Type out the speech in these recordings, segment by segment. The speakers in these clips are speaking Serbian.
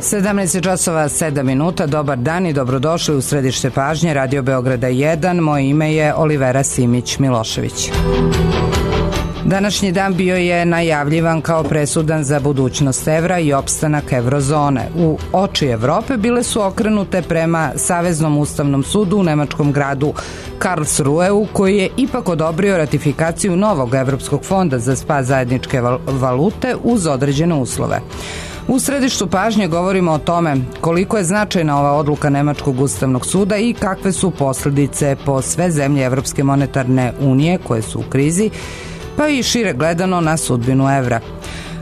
17 časova 7 minuta, dobar dan i dobrodošli u središte pažnje Radio Beograda 1. Moje ime je Olivera Simić-Milošević. Današnji dan bio je najavljivan kao presudan za budućnost evra i opstanak eurozone. U oči Evrope bile su okrenute prema Saveznom ustavnom sudu u nemačkom gradu Karlsruheu, koji je ipak odobrio ratifikaciju novog Evropskog fonda za spas zajedničke valute uz određene uslove. U središtu pažnje govorimo o tome koliko je značajna ova odluka Nemačkog ustavnog suda i kakve su posljedice po sve zemlje Evropske monetarne unije koje su u krizi, pa i šire gledano na sudbinu evra.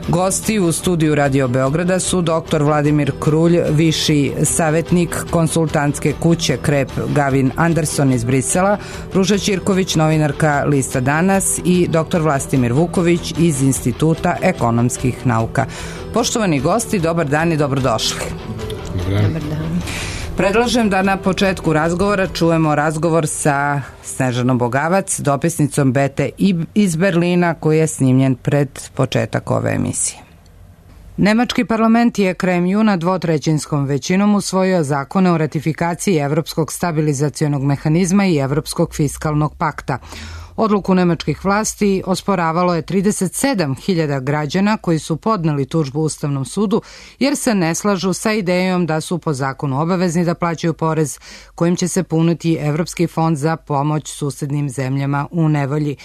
Gosti u studiju Radio Beograda su dr. Vladimir Krulj, viši savjetnik konsultantske kuće Krep Gavin Anderson iz Brisela, Ruža Ćirković, novinarka Lista Danas i dr. Vlastimir Vuković iz Instituta ekonomskih nauka. Poštovani gosti, dobar dan i dobrodošli. Dobar dan. Predlažem da na početku razgovora čujemo razgovor sa Snežanom Bogavac, dopisnicom Bete iz Berlina, koji je snimljen pred početak ove emisije. Nemački parlament je krajem juna dvotrećinskom većinom usvojio zakone o ratifikaciji Evropskog stabilizacionog mehanizma i Evropskog fiskalnog pakta. Odluku nemačkih vlasti osporavalo je 37.000 građana koji su podneli tužbu Ustavnom sudu jer se ne slažu sa idejom da su po zakonu obavezni da plaćaju porez kojim će se puniti Evropski fond za pomoć susednim zemljama u nevolji.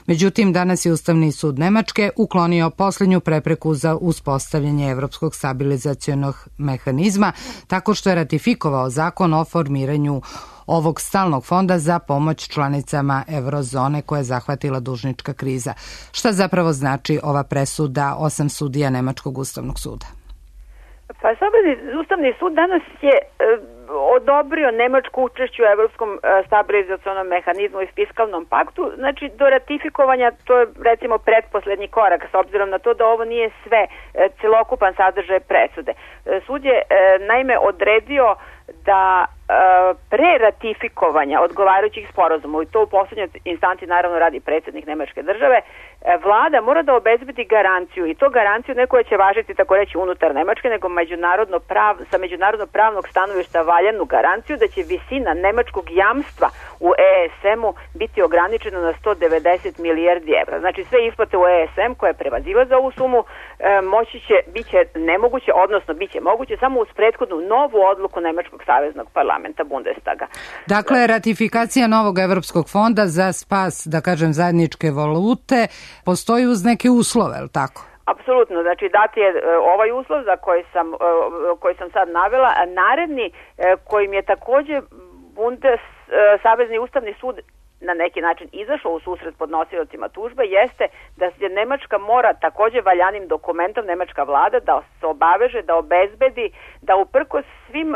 Međutim, danas je Ustavni sud Nemačke uklonio posljednju prepreku za uspostavljanje Evropskog stabilizacionog mehanizma tako što je ratifikovao zakon o formiranju ovog stalnog fonda za pomoć članicama eurozone koja je zahvatila dužnička kriza. Šta zapravo znači ova presuda 8 sudija Nemačkog ustavnog suda? Pa Ustavni sud danas je odobrio Nemačko učešće u Evropskom stabilizacionom mehanizmu i fiskalnom paktu. Znači, do ratifikovanja to je recimo pretposlednji korak, s obzirom na to da ovo nije sve celokupan sadržaj presude. Sud je naime odredio da pre ratifikovanja odgovarajućih sporazuma, i to u poslednjoj instanci naravno radi predsjednik Nemačke države, vlada mora da obezbedi garanciju, i to garanciju ne koja će važiti tako reći unutar Nemačke, nego sa međunarodno pravnog stanovišta valjanu garanciju da će visina nemačkog jamstva u ESM-u biti ograničena na 190 milijardi evra. Znači sve isplate u ESM koje prevazilaze ovu sumu biće nemoguće, odnosno biće moguće samo uz prethodnu novu odluku Nemačkog saveznog parlamenta Bundestaga. Dakle, ratifikacija novog Evropskog fonda za spas, da kažem, zajedničke valute postoji uz neke uslove, je li tako? Apsolutno, znači dati je ovaj uslov za koji sam sad navela, a naredni kojim je također Savezni ustavni sud na neki način izašao u susret podnosiocima tužbe jeste da se Nemačka mora također valjanim dokumentom, nemačka vlada, da se obaveže, da obezbedi, da uprkos svim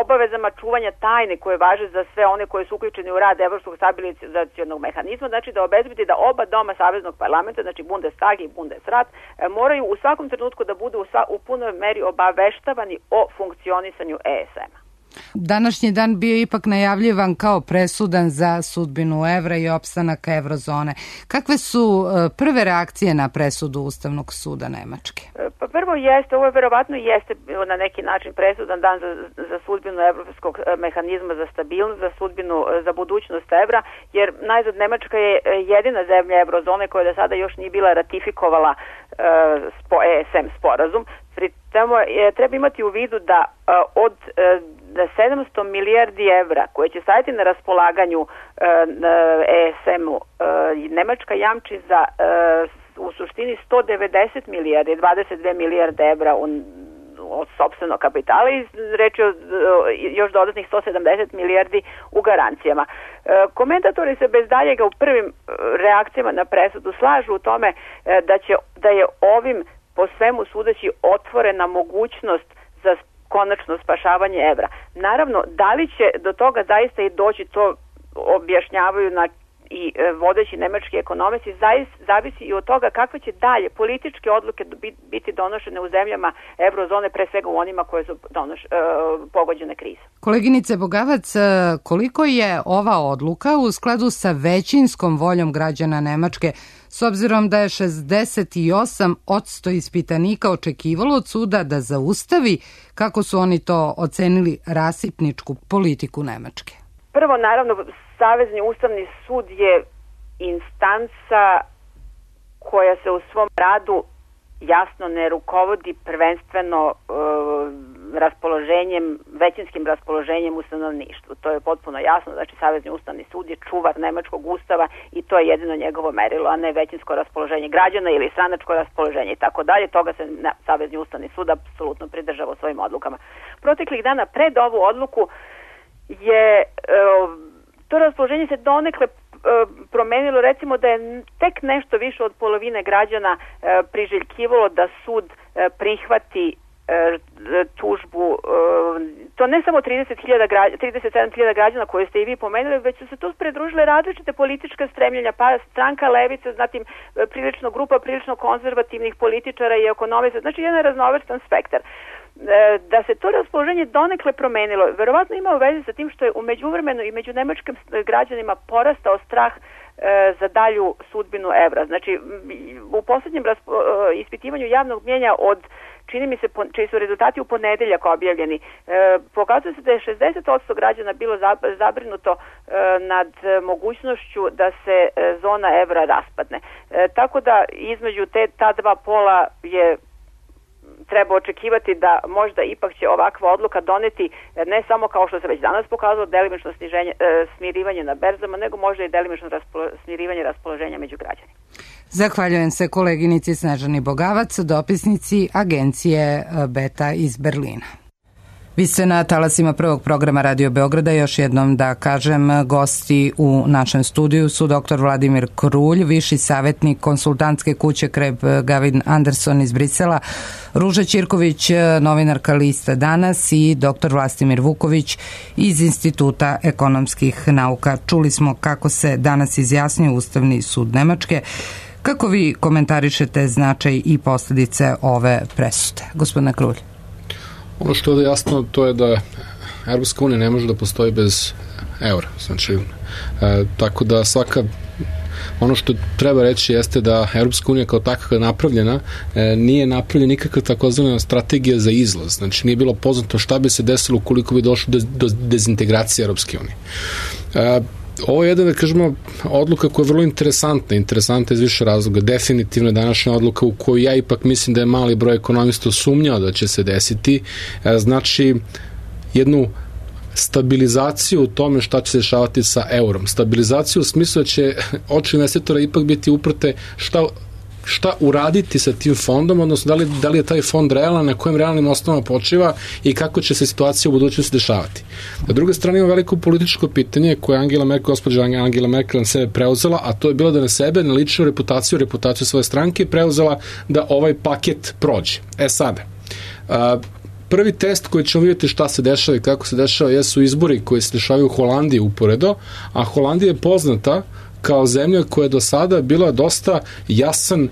obavezama čuvanja tajne koje važe za sve one koji su uključeni u rad Evropskog stabilizacionog mehanizma, znači da obezbedi da oba doma Saveznog parlamenta, znači Bundestag i Bundesrat, moraju u svakom trenutku da budu u punoj meri obaveštavani o funkcionisanju ESM-a. Današnji dan bio ipak najavljivan kao presudan za sudbinu evra i opstanak eurozone. Kakve su prve reakcije na presudu Ustavnog suda Nemačke? Pa prvo ovo verovatno jeste na neki način presudan dan za sudbinu Evropskog mehanizma za stabilnost, za budućnost evra, jer najzad Nemačka je jedina zemlja eurozone koja do sada još nije bila ratifikovala ESM sporazum. Pri tome treba imati u vidu da od 700 milijardi evra koje će staviti na raspolaganju ESM-u, Nemačka jamči za u suštini 190 milijardi, 22 milijarde evra od sopstvenog kapitala i reći još dodatnih 170 milijardi u garancijama. Komentatori se bez daljega u prvim reakcijama na presudu slažu u tome da je ovim po svemu sudeći otvorena mogućnost za konačno spašavanje evra. Naravno, da li će do toga zaista i doći, to objašnjavaju i vodeći nemački ekonomisti, zavisi i od toga kakve će dalje političke odluke biti donošene u zemljama eurozone, pre svega u onima koje su pogođene krize. Koleginice Bogavac, koliko je ova odluka u skladu sa većinskom voljom građana Nemačke, s obzirom da je 68% ispitanika očekivalo od suda da zaustavi, kako su oni to ocenili, rasipničku politiku Nemačke? Prvo, naravno, Savezni ustavni sud je instanca koja se u svom radu jasno ne rukovodi prvenstveno većinskim raspoloženjem u stanovništvu. To je potpuno jasno, znači Savezni ustavni sud je čuvar nemačkog ustava i to je jedino njegovo merilo, a ne većinsko raspoloženje građana ili stranačko raspoloženje i tako dalje. Toga se Savezni ustavni sud apsolutno pridržava u svojim odlukama. Proteklih dana pred ovu odluku je to raspoloženje se donekle promenilo, recimo da je tek nešto više od polovine građana priželjkivalo da sud prihvati tužbu, to ne samo 37.000 građana koje ste i vi pomenuli, već su se tu pridružile različite političke stremljenja, pa stranka levice, zatim grupa prilično konzervativnih političara i ekonomista, znači jedan raznovrstan spektar. Da se to raspoloženje donekle promenilo, verovatno ima u vezi sa tim što je u međuvremenu i među nemačkim građanima porastao strah za dalju sudbinu evra. Znači, u posljednjem ispitivanju javnog mnjenja čini mi se, čiji su rezultati u ponedeljak objavljeni, pokazuje se da je 60% građana bilo zabrinuto nad mogućnošću da se zona evra raspadne. Tako da između ta dva pola je treba očekivati da možda ipak će ovakva odluka doneti ne samo kao što se već danas pokazalo delimično smirivanje na berzama, nego možda i delimično smirivanje raspoloženja među građanima. Zahvaljujem se koleginici Snežani Bogavac, dopisnici agencije Beta iz Berlina. Vi ste na talasima prvog programa Radio Beograda. Još jednom da kažem, gosti u našem studiju su dr. Vladimir Krulj, viši savjetnik konsultantske kuće Kreb Gavin Anderson iz Brisela, Ruža Ćirković, novinarka Lista Danas i dr. Vlastimir Vuković iz Instituta ekonomskih nauka. Čuli smo kako se danas izjasnio Ustavni sud Nemačke. Kako vi komentarišete značaj i posljedice ove presude? Gospodine Krulj. Ono što je jasno, to je da Europska unija ne može da postoji bez eura. Znači, tako da ono što treba reći jeste da Europska unija kao takva napravljena, nije napravljena nikakva takozvana strategija za izlaz. Znači, nije bilo poznato šta bi se desilo ukoliko bi došlo do dezintegracije Europske unije. Ovo je jedna, da kažemo, odluka koja je vrlo interesantna iz više razloga. Definitivno je današnja odluka u kojoj ja ipak mislim da je mali broj ekonomista sumnjao da će se desiti. Znači, jednu stabilizaciju u tome šta će se dešavati sa eurom. Stabilizaciju u smislu da će oči investitora ipak biti uprte šta uraditi sa tim fondom, odnosno da li je taj fond realan, na kojim realnim osnovama počiva i kako će se situacija u budućnosti dešavati. Na druge strane ima veliko političko pitanje koje gospođa Angela Merkel na sebe preuzela, a to je bilo da na sebe, na ličnu reputaciju svoje stranke preuzela da ovaj paket prođe. Sada, prvi test koji ćemo vidjeti šta se dešava i kako se dešava jesu izbori koji se dešavaju u Holandiji uporedo, a Holandija je poznata kao zemlja koja je do sada bila dosta jasan,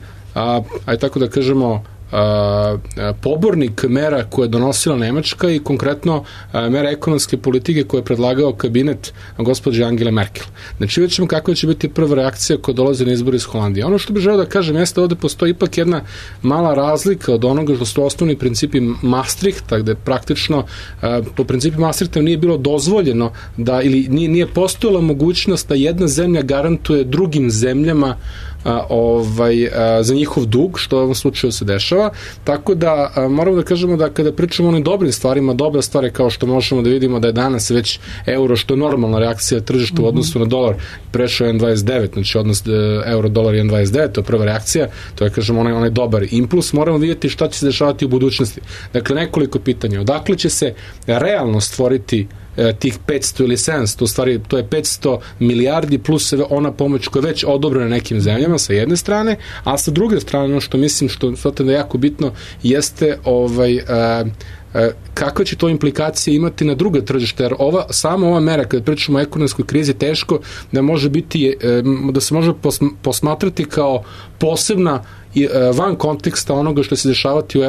ajde tako da kažemo, pobornik mera koje je donosila Nemačka i konkretno mera ekonomske politike koje je predlagao kabinet gospođe Angele Merkel. Znači vidjet ćemo kakva će biti prva reakcija koja dolazi na izbor iz Holandije. Ono što bih želeo da kažem jeste ovde postoji ipak jedna mala razlika od onoga što su osnovni principi Maastrichta, gde praktično po principi Maastrichta nije bilo dozvoljeno da, ili nije postojala mogućnost da jedna zemlja garantuje drugim zemljama za njihov dug, što u ovom slučaju se dešava, tako da moramo da kažemo da kada pričamo o onim dobrim stvarima, dobra stvar je kao što možemo da vidimo da je danas već euro, što je normalna reakcija tržišta u odnosu na dolar, prešao 1,29, znači odnos euro-dolar 1,29, to je prva reakcija, to je, kažemo, onaj dobar impuls. Moramo vidjeti šta će se dešavati u budućnosti. Dakle, nekoliko pitanja. Odakle će se realno stvoriti tih 500 ili 700, u stvari to je 500 milijardi plus ona pomoć koja je već odobrena nekim zemljama sa jedne strane, a sa druge strane ono što mislim što je jako bitno jeste kakve će to implikacije imati na druga tržišta, jer sama ova mera, kada pričamo o ekonomskoj krizi, teško da može biti, da se može posmatrati kao posebna van konteksta onoga što se dešavati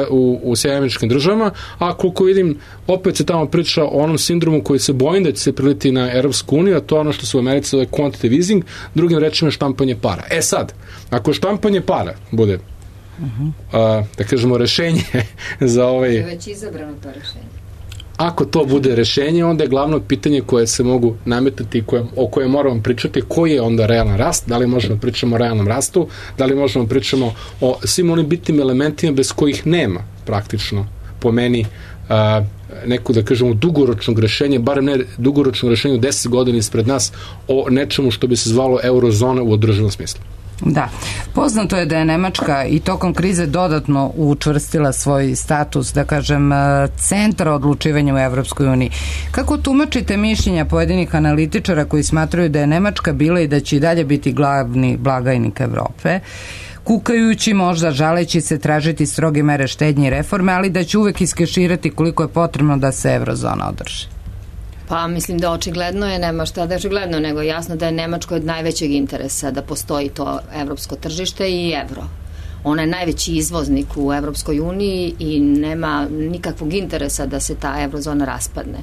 u Sjedinjenim Američkim Državama, a koliko vidim, opet se tamo priča o onom sindromu koji se bojim da će se priliti na Europsku uniju, a to je ono što se u Americi zove quantitative easing, drugim rečima štampanje para. Sad, ako štampanje para bude da kažemo rešenje za ovaj... Je već izabrano to rešenje. Ako to bude rešenje, onda je glavno pitanje koje se mogu nametati i o koje moramo pričati, koji je onda realan rast, da li možemo pričamo o realnom rastu, da li možemo pričamo o svim onim bitnim elementima bez kojih nema praktično po meni neku, da kažemo, dugoročnog rešenja, bar ne dugoročnog rešenja 10 godina ispred nas o nečemu što bi se zvalo eurozona u održivom smislu. Da. Poznato je da je Nemačka i tokom krize dodatno učvrstila svoj status, da kažem, centra odlučivanja u Evropskoj uniji. Kako tumačite mišljenja pojedinih analitičara koji smatraju da je Nemačka bila i da će i dalje biti glavni blagajnik Evrope, kukajući, možda žaleći se, tražiti stroge mere štednje i reforme, ali da će uvek iskeširati koliko je potrebno da se eurozona održi? Pa mislim da očigledno je, nema šta da je očigledno, nego jasno da je Nemačkoj od najvećeg interesa da postoji to evropsko tržište i evro. Ona je najveći izvoznik u Evropskoj uniji i nema nikakvog interesa da se ta eurozona raspadne.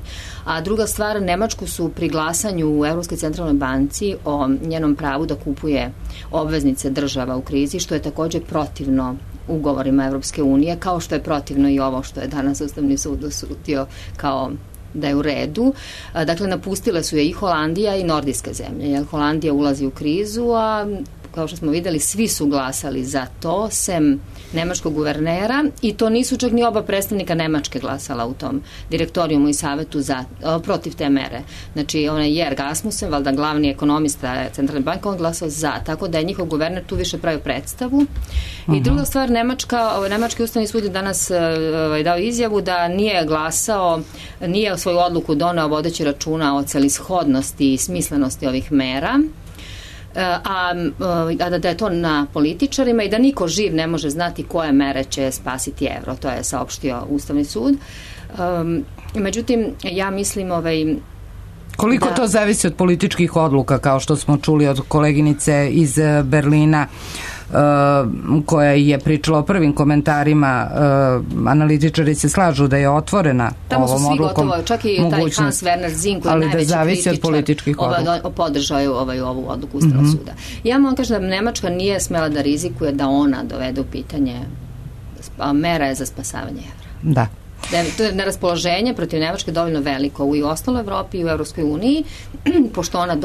A druga stvar, Nemačku su pri glasanju u Evropskoj centralnoj banci o njenom pravu da kupuje obveznice država u krizi, što je također protivno ugovorima Evropske unije, kao što je protivno i ovo što je danas Ustavni sud osudio kao da je u redu. Dakle, napustile su je i Holandija i nordijske zemlje, jer Holandija ulazi u krizu, a kao što smo videli, svi su glasali za to, sem nemačkog guvernera, i to nisu čak ni oba predstavnika Nemačke glasala u tom direktorijumu i savetu protiv te mere. Znači, onaj Jörg Asmussen, valjda glavni ekonomista Centralne banke, on glasao za, tako da je njihov guverner tu više pravio predstavu. I druga stvar, Nemački ustavni sud je danas dao izjavu da nije glasao, nije svoju odluku doneo vodeći računa o celishodnosti i smislenosti ovih mera, a da je to na političarima i da niko živ ne može znati koje mere će spasiti evro. To je saopštio Ustavni sud. Međutim, ja mislim koliko to zavisi od političkih odluka, kao što smo čuli od koleginice iz Berlina, koja je pričala o prvim komentarima. Analitičari se slažu da je otvorena ovom odlukom. Tamo su svi gotovo, čak i taj Hans Werner Zinn, koji je najveći kritičar, podržao ovu odluku Ustavnog suda. Ja moram kažem da Nemačka nije smela da rizikuje da ona dovede u pitanje mera za spasavanje evra. Da. To je neraspoloženje protiv Nemačke dovoljno veliko i u ostaloj Evropi i u Evropskoj uniji, pošto ona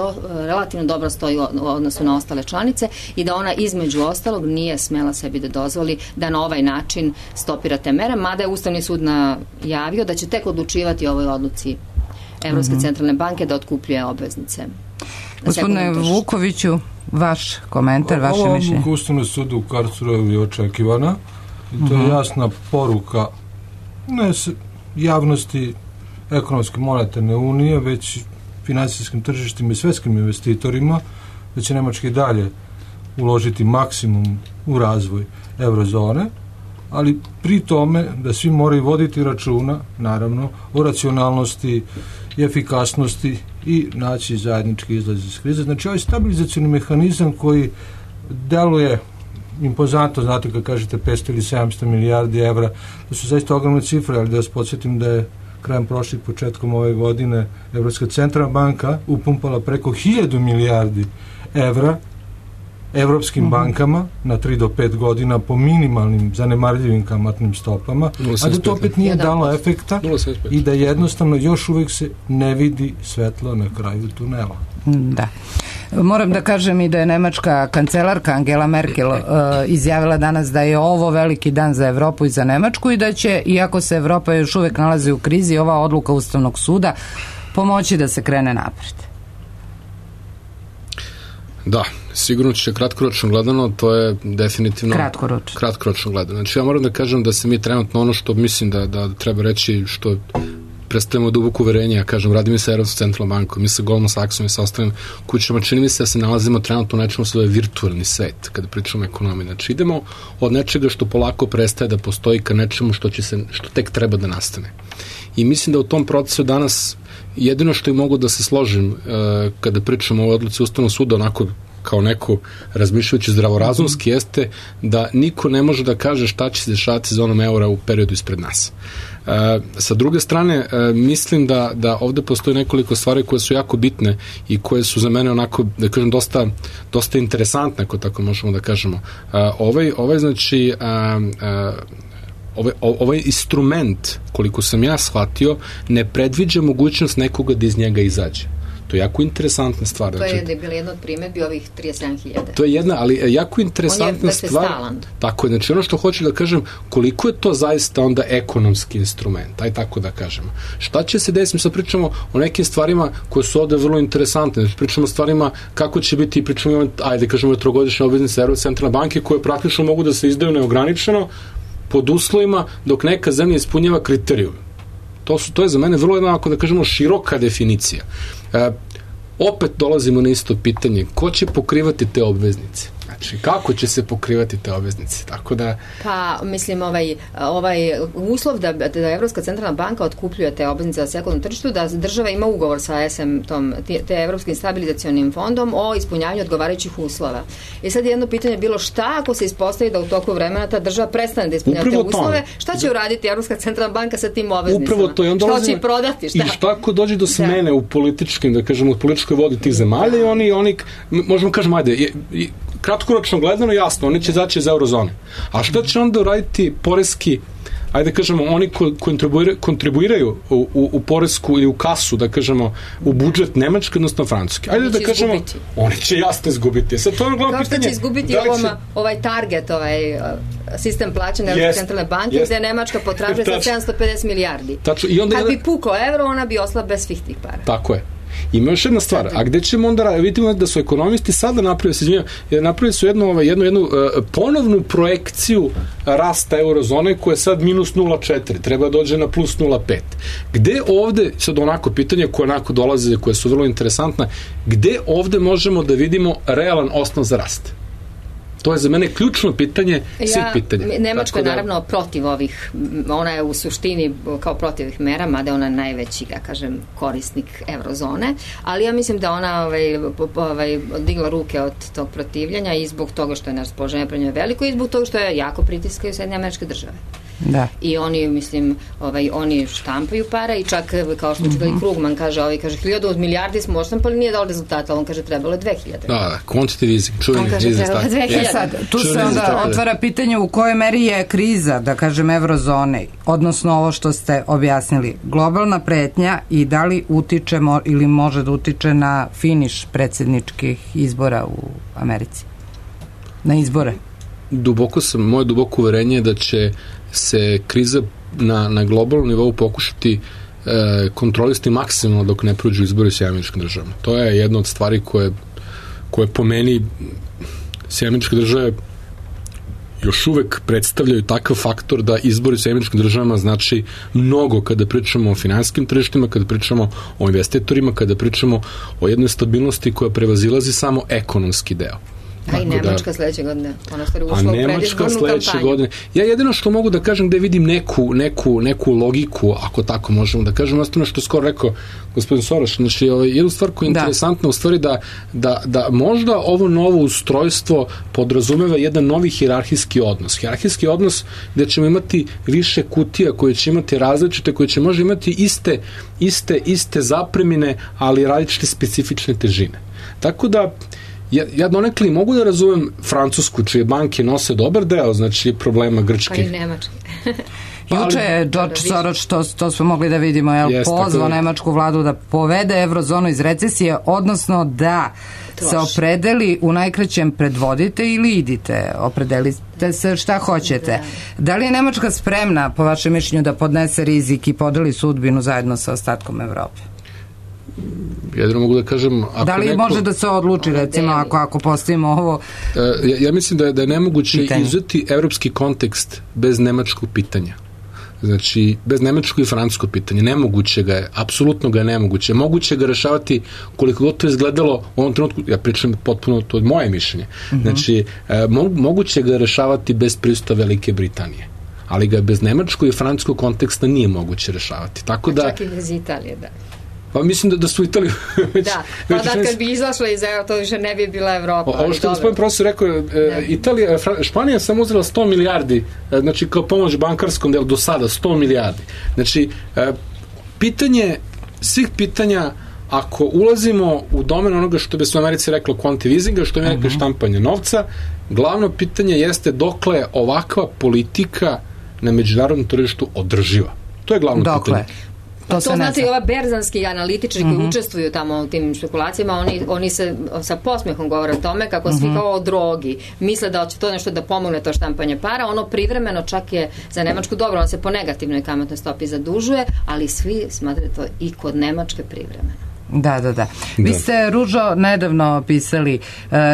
relativno dobro stoji u odnosu na ostale članice, i da ona između ostalog nije smela sebi da dozvoli da na ovaj način stopira te mere, mada je Ustavni sud najavio da će tek odlučivati o ovoj odluci Evropske centralne banke da otkupljuje obveznice. Gospodine Vukoviću, vaš komentar, vaše mišljenje? Ova Ustavnog suda u Karlsruheu je očekivana i to je jasna poruka ne javnosti ekonomske monetarne unije, već finansijskim tržištima i svetskim investitorima, da će Nemačka i dalje uložiti maksimum u razvoj eurozone, ali pri tome da svi moraju voditi računa, naravno, o racionalnosti i efikasnosti i naći zajednički izlaz iz krize. Znači, ovaj stabilizacioni mehanizam koji deluje impozantno, znate kad kažete 500 ili 700 milijardi evra, to su zaista ogromne cifre, ali da vas podsjetim da je krajem prošlih, početkom ove godine Evropska centralna banka upumpala preko 1000 milijardi evra evropskim bankama na 3 do 5 godina po minimalnim zanemarljivim kamatnim stopama, a da to opet nije dalo efekta i da jednostavno još uvijek se ne vidi svetlo na kraju tunela. Da. Moram da kažem i da je nemačka kancelarka Angela Merkel izjavila danas da je ovo veliki dan za Evropu i za Nemačku i da će, iako se Evropa još uvijek nalazi u krizi, ova odluka Ustavnog suda pomoći da se krene napred. Da, sigurno će kratkoročno gledano, to je definitivno kratkoročno gledano. Znači ja moram da kažem da se mi trenutno ono što mislim da treba reći, što predstavljamo duboko uverenje, ja kažem, radim i sa Evropskom centralnom bankom, mi sa Goldman Sachsom i sa ostalim kućama, čini mi se da se nalazimo trenutno u nečemu što je virtualni svet, kada pričamo o ekonomiji. Znači idemo od nečega što polako prestaje da postoji ka nečemu što tek treba da nastane. I mislim da u tom procesu danas jedino što i mogu da se složim kada pričamo o odluci Ustavnog suda, onako kao neko razmišljajući zdravorazumski jeste da niko ne može da kaže šta će se dešavati sa zonom eura u periodu ispred nas. Sa druge strane, mislim da ovde postoji nekoliko stvari koje su jako bitne i koje su za mene onako, da kažem, dosta interesantne, ako tako možemo da kažemo. Znači, ovaj instrument, koliko sam ja shvatio, ne predviđa mogućnost nekoga da iz njega izađe. To je jako interesantna stvar. To je bila jedna od primedbi ovih 37.000. To je jedna, ali jako interesantna stvar. Tako je, znači ono što hoću da kažem, koliko je to zaista onda ekonomski instrument, aj tako da kažemo. Šta će se desiti, sad pričamo o nekim stvarima koje su ovde vrlo interesantne, znači pričamo o stvarima kako će biti, pričamo, ajde kažemo, trogodišnje obveznice Evropske centralne banke koje praktično mogu da se izdaju neograničeno pod uslovima dok neka zemlja ispunjava kriterijum. To je za mene vrlo jedna, ako da kažemo, široka definicija. Opet dolazimo na isto pitanje, ko će pokrivati te obveznice? Znači, kako će se pokrivati te obveznice? Tako da... Pa, mislim, ovaj uslov da Evropska centralna banka otkupljuje te obveznice za sekundarnom tržištu, da država ima ugovor sa te Evropskim stabilizacionim fondom o ispunjavanju odgovarajućih uslova. I sad jedno pitanje je bilo šta ako se ispostavi da u toku vremena ta država prestane da ispunjava te uslove, šta će uraditi Evropska centralna banka sa tim obveznicama? Upravo to. Šta će ih prodati? I šta ako dođe do smene u političkim, da kažemo, u političkoj vodi tih zemalja i oni možemo kažemo, ajde, kratkoročno gledano, jasno, oni će zaći iz eurozone. A šta će onda uraditi poreski, ajde da kažemo, oni koji kontribuiraju u poresku ili u kasu, da kažemo, u budžet Nemačke, odnosno Francuske? Ajde da kažemo, oni će jasno izgubiti. Sad to je glavno pitanje. Kao što će izgubiti ovaj target, sistem plaćanja Evropske centralne banke, gde Nemačka potražuje sa 750 milijardi. Kad bi pukao euro, ona bi ostala bez svih tih para. Tako je. Ima još jedna stvar, a gde ćemo onda, vidimo da su ekonomisti sada napravili su jednu ponovnu projekciju rasta eurozone koja je sad minus 0,4, treba dođe na plus 0,5. Gde ovde, sad onako pitanje koje onako dolaze, koje su vrlo interesantne, gde ovde možemo da vidimo realan osnov za rast? To je za mene ključno pitanje svih pitanja. Nemačka je naravno protiv ovih, ona je u suštini kao protiv ovih mera, mada je ona najveći, ja kažem, korisnik eurozone, ali ja mislim da ona digla ruke od tog protivljanja i zbog toga što je raspoloženje prema njoj veliko i zbog toga što je jako pritiskaju Sjedinjene Američke Države. Da. I oni, mislim, oni štampaju para i čak, kao što čitali Krugman, kaže 1000 milijardi smo odštampali, nije dao rezultata, on kaže trebalo je 2000. Da, quantitative easing, čuveni easing. Sad, tu se onda otvara pitanje u kojoj meri je kriza, da kažem, eurozone, odnosno ovo što ste objasnili, globalna pretnja i da li utiče ili može da utiče na finiš predsjedničkih izbora u Americi? Na izbore? Moje duboko uverenje je da će se kriza na globalnom nivou pokušati kontrolisti maksimalno dok ne prođu izbori s Američkim državama. To je jedna od stvari koje po meni Američke države još uvek predstavljaju takav faktor da izbori s Američkim državama znači mnogo kada pričamo o finansijskim tržištima, kada pričamo o investitorima, kada pričamo o jednoj stabilnosti koja prevazilazi samo ekonomski deo. A i Nemačka sledeće godine. Ona stvari ušla u predizbornu kampanju. Ja jedino što mogu da kažem gde vidim neku logiku, ako tako možemo da kažem, ostano što skoro rekao gospodin Soros, znači jednu stvar koja je interesantna u stvari da možda ovo novo ustrojstvo podrazumeva jedan novi hijerarhijski odnos. Hijerarhijski odnos gde ćemo imati više kutija koje će imati različite, koje će možda imati iste zapremine, ali različite specifične težine. Tako da ja donekli mogu da razumem Francusku, čije banke nose dobar deo, znači problema Grčke. Pa i Nemačke. Juče je George Soros, to smo mogli da vidimo, pozvao nemačku vladu da povede eurozonu iz recesije, odnosno da se opredeli u najkraćem predvodite ili idite, opredelite se šta hoćete. Da li je Nemačka spremna, po vašem mišljenju, da podnese rizik i podeli sudbinu zajedno sa ostatkom Evrope? Jedino mogu da kažem... Da li može da se odluči, recimo, ako postavimo ovo... Ja mislim da je nemoguće izuzeti evropski kontekst bez nemačkog pitanja. Znači, bez nemačkog i francuskog pitanja. Nemoguće ga je, apsolutno ga je nemoguće. Moguće ga rešavati koliko god to izgledalo u ovom trenutku, ja pričam potpuno, to je moje mišljenje. Znači, moguće ga rešavati bez prisustva Velike Britanije. Ali ga bez nemačkog i francuskog konteksta nije moguće rešavati. Tako da... Čak i bez Italije, da. Pa mislim da su Italiju već... Da, pa da kad bi izašla iz Evropa, to više ne bi bila Evropa. Ovo što gospodin profesor rekao, Španija je samo uzela 100 milijardi, znači kao pomoć bankarskom delu do sada, 100 milijardi. Znači, pitanje, svih pitanja, ako ulazimo u domen onoga što bi se u Americi reklo quantitative, što je rekao štampanje novca, glavno pitanje jeste dokle ovakva politika na međunarodnom tržištu održiva. To je glavno pitanje. To znači i ova berzanski analitičari koji učestvuju tamo u tim špekulacijama, oni se sa posmehom govore o tome kako svi kao o drogi misle da će to nešto da pomogne to štampanje para, ono privremeno čak je za Nemačku dobro, ono se po negativnoj kamatnoj stopi zadužuje, ali svi smatraju to i kod Nemačke privremeno. Da. Vi ste, Ružo, nedavno pisali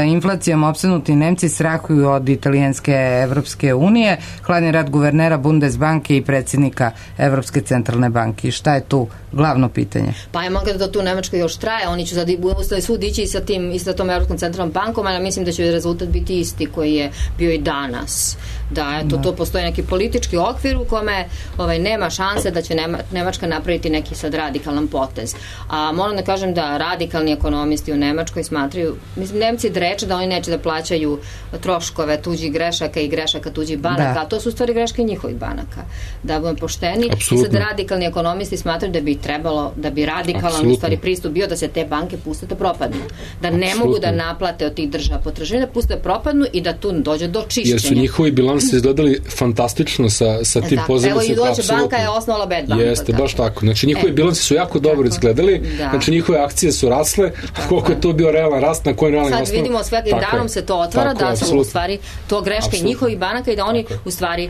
inflacijom opsednuti Nemci strahuju od italijanske Evropske unije, hladni rat guvernera Bundesbanke i predsjednika Evropske centralne banke. Šta je tu glavno pitanje? Pa je moguće da tu Nemačka još traje, oni će sad svud ići i sa tom Evropskom centralnom bankom, ali mislim da će rezultat biti isti koji je bio i danas. Da, to postoji neki politički okvir u kome nema šanse da će Nemačka napraviti neki sad radikalan potez. A moram da kažem da radikalni ekonomisti u Nemačkoj smatraju, mislim, Nemci dreče da oni neće da plaćaju troškove tuđih grešaka i grešaka tuđih banaka, a to su u stvari greške njihovih banaka. Da budemo pošteni, i sad radikalni ekonomisti smatraju da bi trebalo, da bi radikalan u stvari pristup bio da se te banke puste da propadnu. Da ne mogu da naplate od tih država potraživanja, da puste da propadnu i da tu dođe do čišćenja. Jer su njihovi bilansi izgledali fantastično sa tim pozivima. Evo i Deutsche Banka je osnovala bad banka. Jeste, baš tako. Znači njihovi bilansi su jako dobro izgledali, znači njihove akcije su rasle, koliko je to bio realan rast, na koji realan osnov. Sad vidimo svakim danom se to otvara, da su u stvari to greške njihovih banaka i da oni u stvari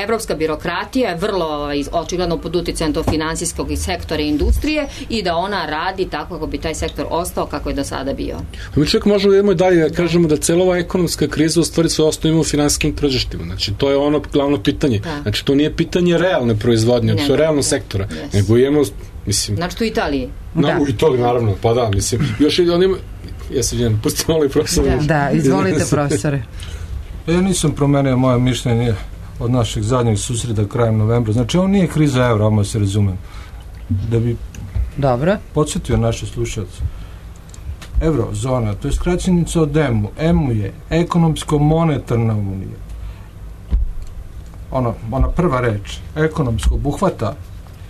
evropska birokratija je vrlo očigledno pod uticajem tog finansijskog sektora i industrije i da ona radi tako kako bi taj sektor ostao kako je do sada bio. Mi čak možemo da idemo i dalje da kažemo da cela ova ekonomska kriza u stvari sve osnovu ima u finansijskim tržištima. Znači to je ono glavno pitanje. Znači to nije pitanje realne proizvodnje, to je realno sektora. Nego imamo, mislim... Znači tu u Italiji. U Italiji, naravno, pa da, mislim. Još i on ima... Ja se vidim, pustimo ovaj profesor. Da, izvolite profesore. Ja nisam promenio moje mišljenje od našeg zadnjeg susreta krajem novembra. Znači ovo nije kriza evra, odmah se razumem. Da bi podsjetio naše slušalce. Eurozona, to je skraćenica od EMU. EMU je ekonomsko-monetarna unija. Ona prva reč, ekonomsko, obuhvata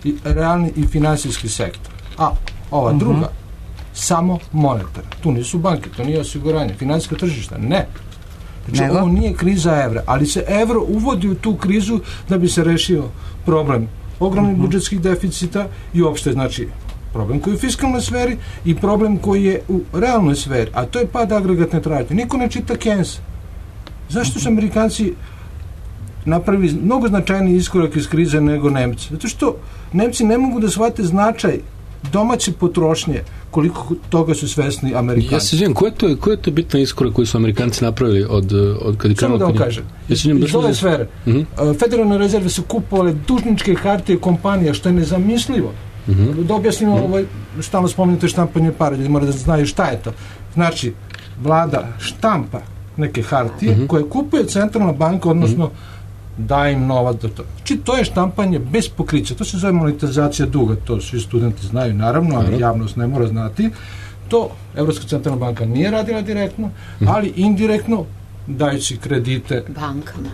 i realni i finansijski sektor. A ova druga, samo monetarna. Tu nisu banke, to nije osiguranje. Finansijska tržišta, ne. Znači, ovo nije kriza evra, ali se evro uvodi u tu krizu da bi se rešio problem ogromnih budžetskih deficita i uopšte, znači, problem koji je u fiskalnoj sferi i problem koji je u realnoj sferi, a to je pad agregatne tražnje. Niko ne čita Keynesa. Zašto su Amerikanci napravili mnogo značajniji iskorak iz krize nego Nemci? Zato što Nemci ne mogu da shvate značaj domaće potrošnje, koliko toga su svesni Amerikanci. Ja se želim, ko je to bitno iskorak koji su Amerikanci napravili od kad je krenuo? Samo da vam kažem. Iz ove sfere. Federalne rezerve su kupovale dužničke hartije kompanija, što je nezamislivo. Da objasnimo, stalno spomenute štampanje para, ljudi moraju da znaju šta je to. Znači, vlada štampa neke hartije koje kupuje centralna banka, odnosno daje im novac do toga. Znači, to je štampanje bez pokrića. To se zove monetizacija duga. To svi studenti znaju, naravno, ali javnost ne mora znati. To Evropska centralna banka nije radila direktno, ali indirektno dajući kredite bankama.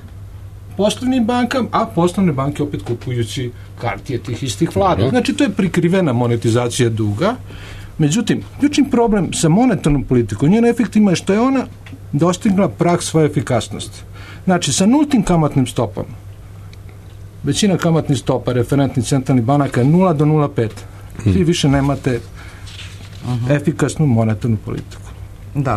Poslovnim bankama, a poslovne banke opet kupujući hartije tih istih vlada. Znači, to je prikrivena monetizacija duga. Međutim, ključni problem sa monetarnom politikom, njen efektima je što je ona dostigla prag svoje efikasnosti. Znači, sa nultim kamatnim stopama, većina kamatnih stopa referentnih centralnih banaka je 0 do 0,5. Vi više nemate efikasnu monetarnu politiku.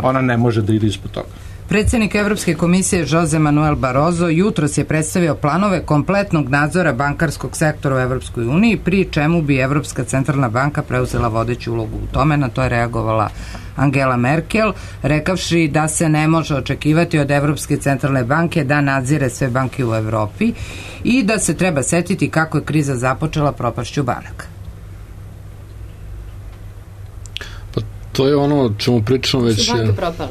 Ona ne može da ide ispod toga. Predsjednik Evropske komisije Jose Manuel Barroso jutros je predstavio planove kompletnog nadzora bankarskog sektora u Evropskoj uniji, pri čemu bi Evropska centralna banka preuzela vodeću ulogu u tome. Na to je reagovala Angela Merkel, rekavši da se ne može očekivati od Evropske centralne banke da nadzire sve banke u Evropi i da se treba setiti kako je kriza započela propašću banaka. Pa to je ono o čemu pričamo već... Su banke propale?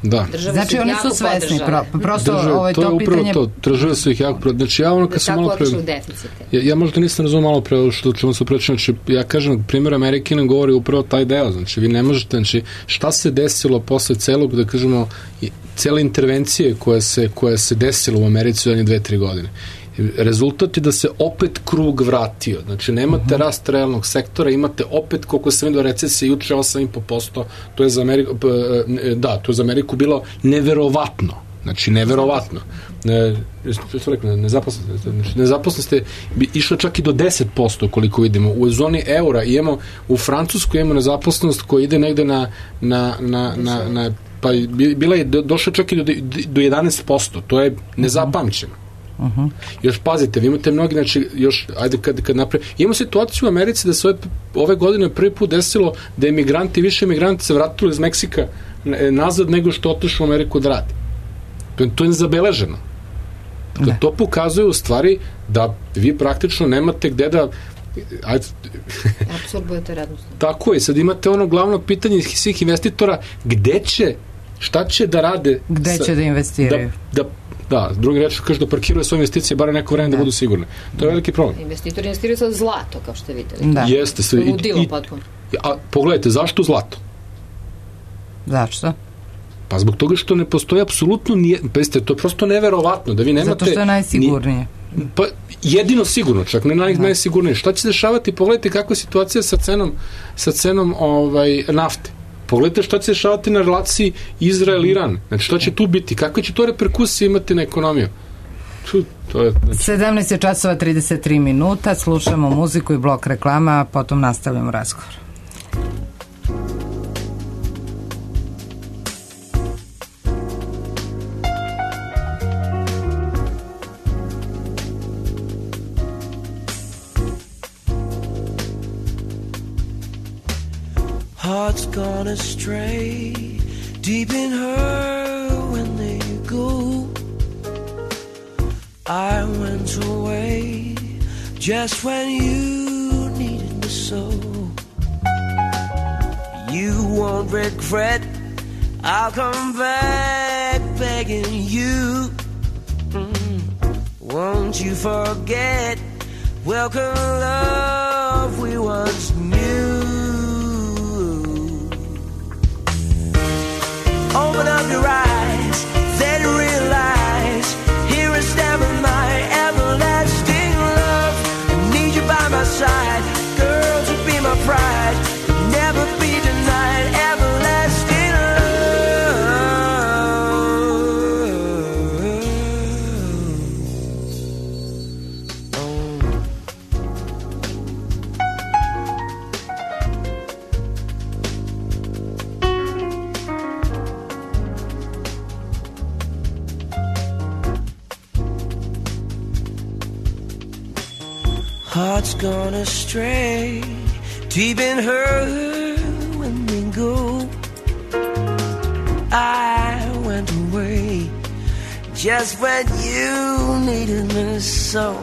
Da. Znači oni su svesni, prosto to je pitanje... To, države su ih jako... Znači ja ono kad sam malo pre... Ja možda nisam razumio malo pre što čemu se preći, znači ja kažem, primjer Amerike nam govori upravo taj deo, znači vi ne možete, znači šta se desilo posle celog, da kažemo, cele intervencije koja se desila u Americi u zadnje 2-3 godine. Rezultat je da se opet krug vratio. Znači, nemate rast realnog sektora, imate opet, koliko sam vidio, recesije juče 8,5%, to je za Ameriku, to je za Ameriku bilo neverovatno. Znači, neverovatno. Što rekao, nezaposlenost je išla čak i do 10%, koliko vidimo. U zoni eura imamo, u Francuskoj imamo nezaposlenost koja ide negde pa bila je došla čak i do 11%. To je nezapamćeno. Još pazite, vi imate mnogi, znači još, ajde kad napravimo, imamo situaciju u Americi da se ove godine prvi put desilo da više emigranti se vratili iz Meksika nazad nego što otišlo u Ameriku da radi. To je nezabeleženo. To pokazuje u stvari da vi praktično nemate gde da apsorbujete radnost. Tako je, sad imate ono glavno pitanje svih investitora, gde će, šta će da rade, gde će da investiraju, da, drugi reč kaže da parkiraju svoje investicije bar neko vreme da budu sigurne. To je veliki problem. Investitori investiraju sad zlato, kao što videli. Da. Jeste se. Ludilo potpuno. A pogledajte, zašto zlato? Zašto? Pa zbog toga što ne postoji apsolutno to je prosto neverovatno da vi nemate... Zato što je najsigurnije. Pa jedino sigurno, čak ne najsigurnije. Šta će se dešavati? Pogledajte kakva je situacija sa cenom nafte. Pogledajte šta će se dešavati na relaciji Izrael-Iran. Znači šta će tu biti? Kakve će to reperkusije imati na ekonomiju? To je, znači... 17 časova 33 minuta, slušamo muziku i blok reklama, a potom nastavljamo razgovor. Hearts gone astray, deep in her when they go. I went away just when you needed me so. You won't regret, I'll come back begging you. Won't you forget, welcome love we once knew. Open up your eyes, then realize, here I stand with my everlasting love. I need you by my side, girl, to be my pride, never be denied, everlasting heart's gone astray, deep in her when we go. I went away just when you needed me so.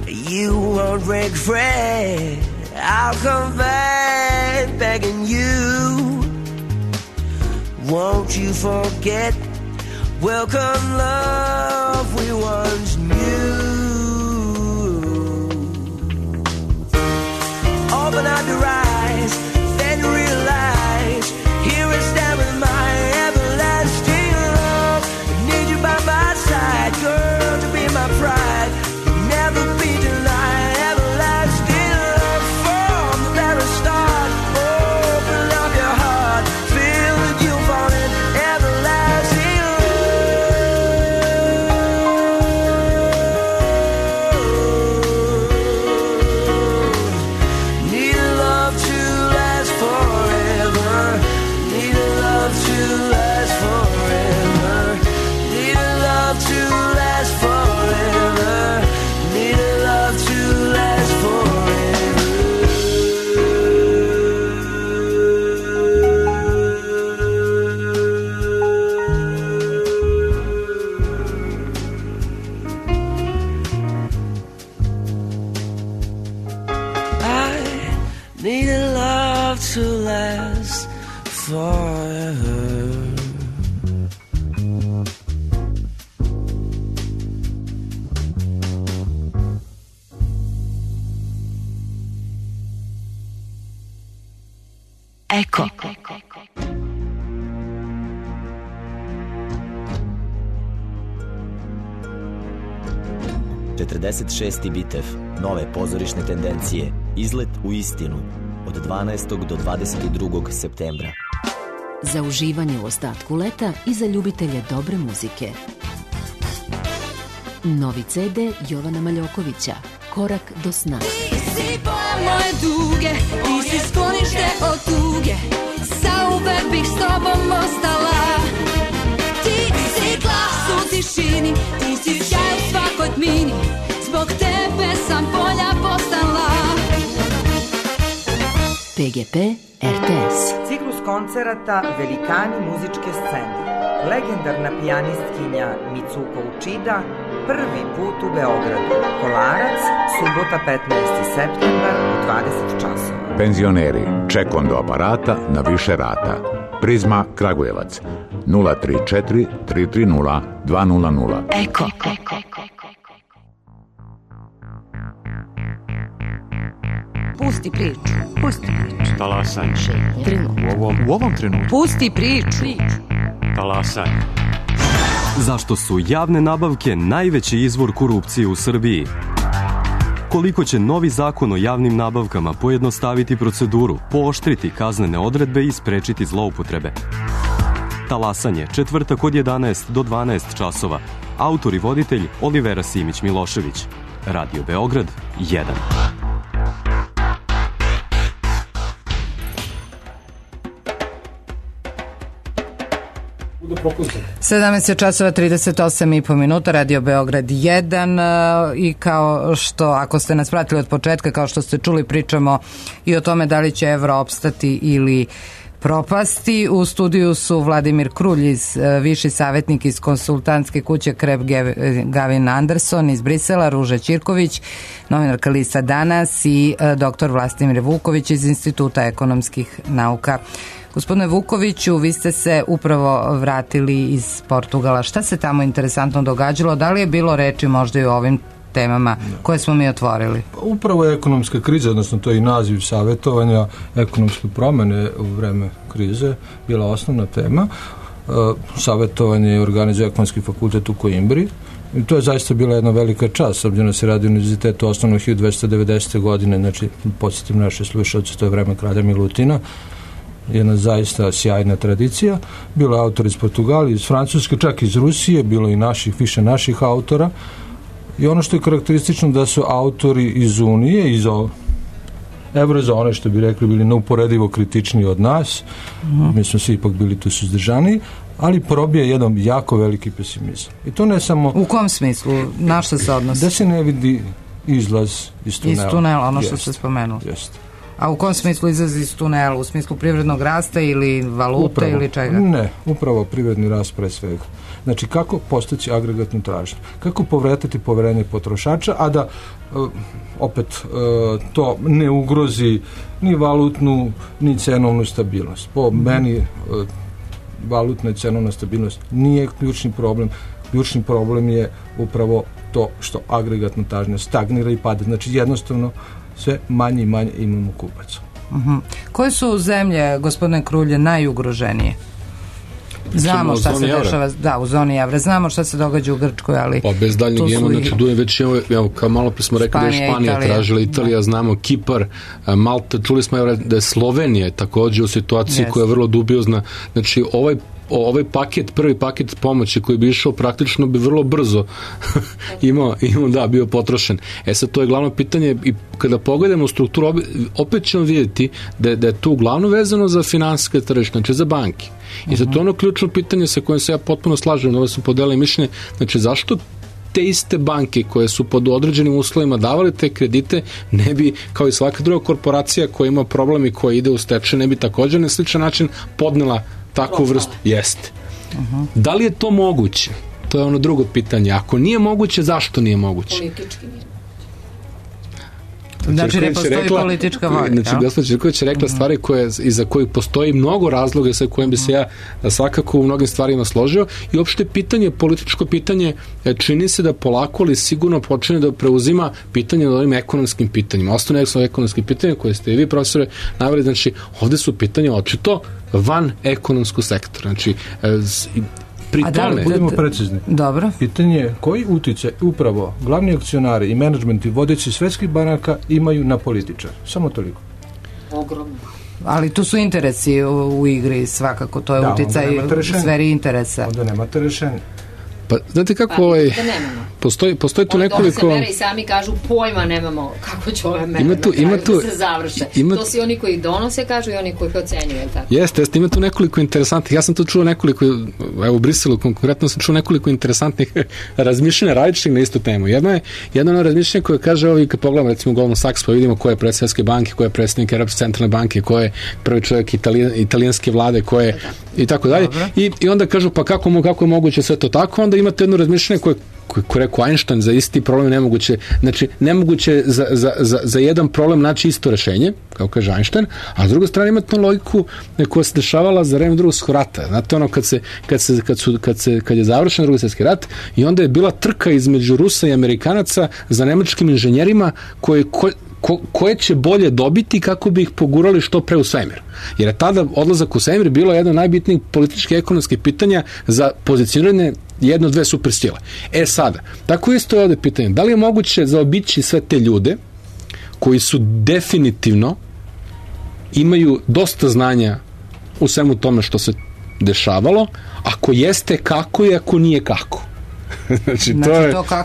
You won't regret, I'll come back begging you. Won't you forget, welcome love we once knew. Open up your eyes, then realize, here I stand with my everlasting love. I need you by my side, girl, to be my pride, never be denied, everlasting love from the very start. Open up your heart, feel that you fall in everlasting to last forever. Eko. ...46. bitev, nove pozorišne tendencije, izlet u istinu, od 12. do 22. septembra. Za uživanje u ostatku leta i za ljubitelje dobre muzike. Novi CD Jovana Maljokovića, Korak do sna. Ti si boja moje duge, ti si sklonište od tuge, zauvek bih s tobom ostala. Ti si glas u tišini, ti si sjaj u svakoj tmini, zbog tebe sam bolja postala. PGP RTS. Ciklus koncerata Velikani muzičke scene. Legendarna pijanistkinja Mitsuko Uchida prvi put u Beogradu. Kolarac, subota 15. septembar u 20 časova. Penzioneri, ček do aparata na više rata. Prizma Kragujevac 034 330 200. Eko. Pusti priču. Pusti priču. Talasanje. U ovom trenutku. Pusti priču. Talasanje. Zašto su javne nabavke najveći izvor korupcije u Srbiji? Koliko će novi zakon o javnim nabavkama pojednostaviti proceduru, pooštriti kaznene odredbe i sprečiti zloupotrebe? Talasanje, četvrtak od 11 do 12 časova. Autor i voditelj Olivera Simić-Milošević. Radio Beograd 1. 17 časova 38,5 minuta, Radio Beograd 1 i kao što, ako ste nas pratili od početka, kao što ste čuli, pričamo i o tome da li će evro opstati ili propasti. U studiju su Vladimir Krulj, viši savjetnik iz konsultantske kuće Kreb Gavin Anderson iz Brisela, Ruža Ćirković, novinarka lista Danas i dr. Vlastimir Vuković iz Instituta ekonomskih nauka. Gospodine Vukoviću, vi ste se upravo vratili iz Portugala. Šta se tamo interesantno događalo? Da li je bilo reči možda i o ovim temama koje smo mi otvorili? Upravo je ekonomska kriza, odnosno to je i naziv savjetovanja, ekonomske promene u vreme krize, bila osnovna tema. Savjetovanje je organizuje Ekonomski fakultet u Koimbri. I to je zaista bila jedna velika čast, obzirom da se radi u univerzitetu osnovno 1290. godine, znači podsjetim naše slušalce, to je vreme kralja Milutina, jedna zaista sjajna tradicija. Bilo je autor iz Portugali, iz Francuske, čak iz Rusije, bilo i više naših autora. I ono što je karakteristično da su autori iz Unije, iz Evrozone, što bi rekli, bili neuporedivo kritičniji od nas. Mi smo svi ipak bili tu suzdržani, ali probije jedan jako veliki pesimizam. I to ne samo... U kom smislu? Na što se odnosi? Da se ne vidi izlaz iz tunela. Iz tunela, ono što ste spomenuli. Jeste. A u kom smislu izlazi iz tunela? U smislu privrednog rasta ili valute upravo, ili čega? Ne, upravo privredni rast pre svega. Znači, kako postići agregatnu tražnju? Kako povratiti poverenje potrošača, a da opet to ne ugrozi ni valutnu, ni cenovnu stabilnost. Po meni valutna i cenovna stabilnost nije ključni problem. Ključni problem je upravo to što agregatna tražnja stagnira i pada. Znači, jednostavno sve manje i manje imamo kupaca. Koje su zemlje, gospodine Krulje, najugroženije? Znamo šta se dešava, da, u zoni evra. Znamo šta se događa u Grčkoj, ali pa bez daljnjeg imamo, znači već imamo, kao malo pre smo rekli da je Španija tražila, Italija, znamo Kipar, Malta, čuli smo da je Slovenija takođe u situaciji koja je vrlo dubiozna. Znači ovaj paket, prvi paket pomoći koji bi išao praktično bi vrlo brzo bio potrošen. Sad to je glavno pitanje i kada pogledamo u strukturu opet ćemo vidjeti da je tu glavno vezano za finansijske tržište, znači za banke. I zato ono ključno pitanje sa kojim se ja potpuno slažem, da su podelili mišljenje, znači zašto te iste banke koje su pod određenim uslovima davale te kredite ne bi, kao i svaka druga korporacija koja ima problem i koja ide u stečaj, ne bi također na sličan način podnela takvu vrstu? Jeste. Da li je to moguće? To je ono drugo pitanje. Ako nije moguće, zašto nije moguće? Politički nije. Znači ne postoji politička volja. Znači, gospođa Živković je rekla stvari iza kojih postoji mnogo razloga sa kojim bi se ja svakako u mnogim stvarima složio i uopšte političko pitanje čini se da polako, ali sigurno počne da preuzima pitanje na ovim ekonomskim pitanjima. Ostane su ekonomskim pitanjima koje ste i vi, profesore, naveli, znači ovde su pitanja očito van ekonomskog sektora. Znači, pri tome... Budemo precizni. Dobro. Pitanje je koji uticaj upravo glavni akcionari i menadžmenti vodeći svetskih banaka imaju na političar. Samo toliko. Ogromno. Ali tu su interesi u igri, svakako, to je uticaj u sferi interesa. Onda nemate rešenje. Pa, znate kako postoji tu nekoliko... se mere i sami kažu pojma nemamo kako će ove mere da se završe. To si oni koji donose, kažu, i oni koji ocenjuju. Jeste, ima tu nekoliko interesantnih, ja sam tu čuo nekoliko, evo u Briselu konkretno sam čuo nekoliko interesantnih razmišljanja različitih na istu temu. Jedno je ono razmišljanje koje kaže, ovo i kad pogledamo recimo Goldman Sachs, pa vidimo ko je predsjednik Svetske banke, ko je predsjednik Europske centralne banke, ko je prvi čovjek italijanske vlade, ko je i tako dalje. I onda kažu, pa kako je moguće sve to tako, onda imate jedno razmišljanje koje rekao Einstein, za isti problem nemoguće, znači nemoguće za jedan problem naći isto rešenje, kao kaže Einstein, a s druge strane imate logiku koja se dešavala za vreme Drugog svjetskog rata. Znate ono kad je završen Drugi svjetski rat i onda je bila trka između Rusa i Amerikanaca za nemačkim inženjerima koje će bolje dobiti kako bi ih pogurali što pre u svemir. Jer je tada odlazak u svemir bilo jedno od najbitnijih političkih i ekonomskih pitanja za pozicioniranje jedno, dve supersile. Sada, tako isto je ovde pitanje, da li je moguće zaobići sve te ljude koji su definitivno imaju dosta znanja u svemu tome što se dešavalo, ako jeste kako i ako nije kako. Znači,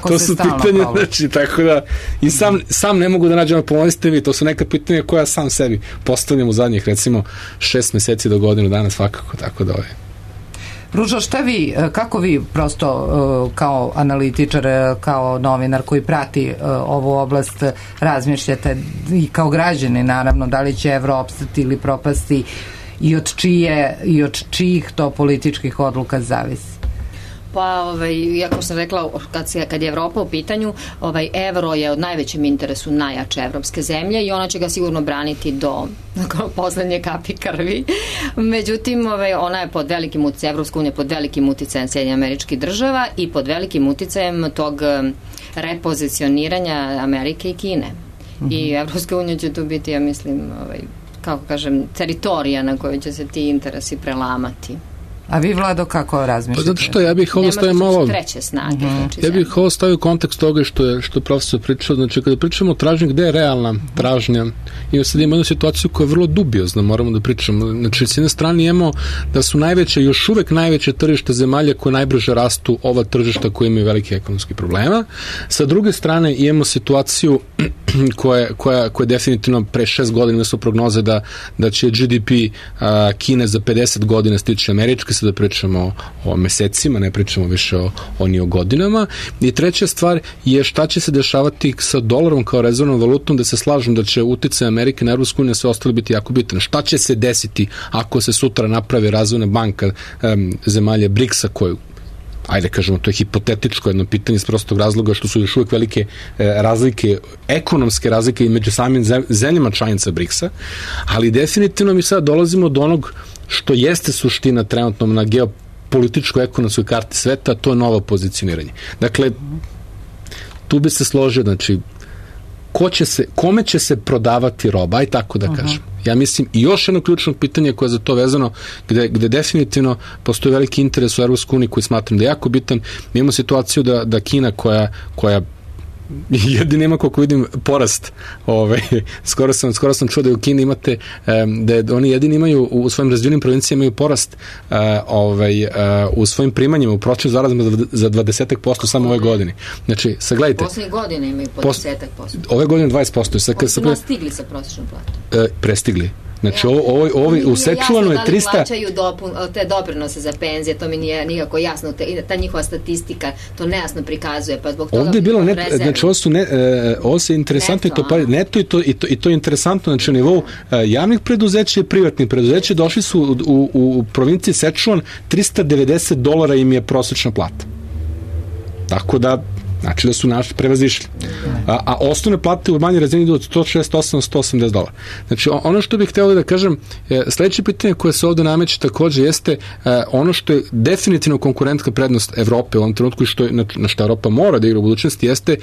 to su pitanja, znači, tako da i sam ne mogu da nađem, pomoliste vi, to su neka pitanja koja sam sebi postavljam u zadnjih, recimo 6 meseci do godinu dana svakako, tako da Ružo, kako vi prosto kao analitičar, kao novinar koji prati ovu oblast razmišljate i kao građani naravno, da li će evro opstati ili propasti i od čijih to političkih odluka zavisi? Pa, jako sam rekla, kad je Evropa u pitanju, evro je od najvećem interesu najjače evropske zemlje i ona će ga sigurno braniti do poslednje kapi krvi. Međutim, ona je pod velikim uticajem, Evropska unija pod velikim uticajem Sjedinjenih Američkih Država i pod velikim uticajem tog repozicioniranja Amerike i Kine. I Evropska unija će tu biti, ja mislim, kako kažem, teritorija na kojoj će se ti interesi prelamati. A vi, Vlado, kako razmišljate? Zato što ja bih ovo stavio malo... treće snage. Ja bih ovo stavio u kontekst toga što je profesor pričao. Znači, kada pričamo o tražnji, gde je realna tražnja? I sad imamo jednu situaciju koja je vrlo dubiozna, moramo da pričamo. Znači, s jedne strane imamo da su još uvek najveće tržište zemalja koje najbrže rastu ova tržišta koje imaju velike ekonomske problema. Sa druge strane imamo situaciju koja definitivno pre 6 godina su prognoze da će GDP Kine za 50 godina stići američke, sada pričamo o mesecima, ne pričamo više o godinama. I treća stvar je šta će se dešavati sa dolarom kao rezervnom valutom, da se slažem da će uticaj Amerike na Evropsku uniju sve ostalo biti jako bitno. Šta će se desiti ako se sutra napravi razvojna banka zemalja BRICS-a koju, ajde kažemo, to je hipotetičko jedno pitanje iz prostog razloga što su još uvijek velike razlike, ekonomske razlike i među samim zemljama članica BRICS-a, ali definitivno mi sad dolazimo do onog što jeste suština trenutno na geopolitičkoj ekonomskoj karti sveta, to je novo pozicioniranje. Dakle, tu bi se složio, znači, kome će se prodavati roba, i tako da kažem. Ja mislim, i još jedno ključno pitanje koje je za to vezano, gde definitivno postoji veliki interes u Evropskoj uniji koji smatram da je jako bitan. Mi imamo situaciju da Kina koja jedini ima, koliko vidim, porast. Skoro sam čuo da u Kini imate, da oni jedini imaju u svojim razvijenim provincijama imaju porast u svojim primanjima, u pročnim zarazima za 20% samo ove godine. Znači, sagledajte. Poslednje godine imaju po 10%. Ove godine 20%. Su nastigli sa prosječnom platom. Prestigli. Znači, u Sečuvanu je 300... Da li plaćaju te doprinose za penzije, to mi nije nikako jasno. Ta njihova statistika to nejasno prikazuje, pa zbog toga... Ovde je bilo, znači, ovo se interesantno neto i to je interesantno, znači, na nivou javnih preduzeća i privatnih preduzeća došli su u provinciji Sečuvan $390 im je prosječna plata. Tako da Znači da su naši prevazišli. A osnovne plate u manjoj razini idu od $168 do $180. Znači ono što bih hteo da kažem, sledeće pitanje koje se ovde nameće takođe jeste ono što je definitivno konkurentska prednost Evrope u ovom trenutku i što je, na što Evropa mora da igra u budućnosti jeste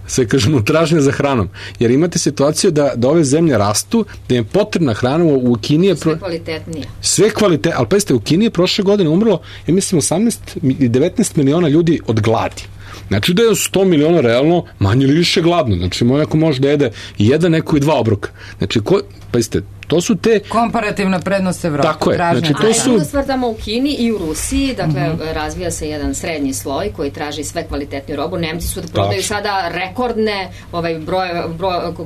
sve kažemo tražnja za hranom. Jer imate situaciju da ove zemlje rastu, da je potrebna hrana u Kini je sve kvalitetnije. Sve kvalitetnije, ali pazite, u Kini je prošle godine umrlo, ja mislim 19 miliona ljudi od gladi. Znači da je 100 miliona realno manje ili više gladno. Znači neko može da jede jedan, neko i dva obroka. Znači, pazite, to su te... Komparativna prednost Evrope. Tako je. Znači, to su... A stvar tamo u Kini i u Rusiji, dakle, razvija se jedan srednji sloj koji traži sve kvalitetniju robu. Nemci su da prodaju sada rekordne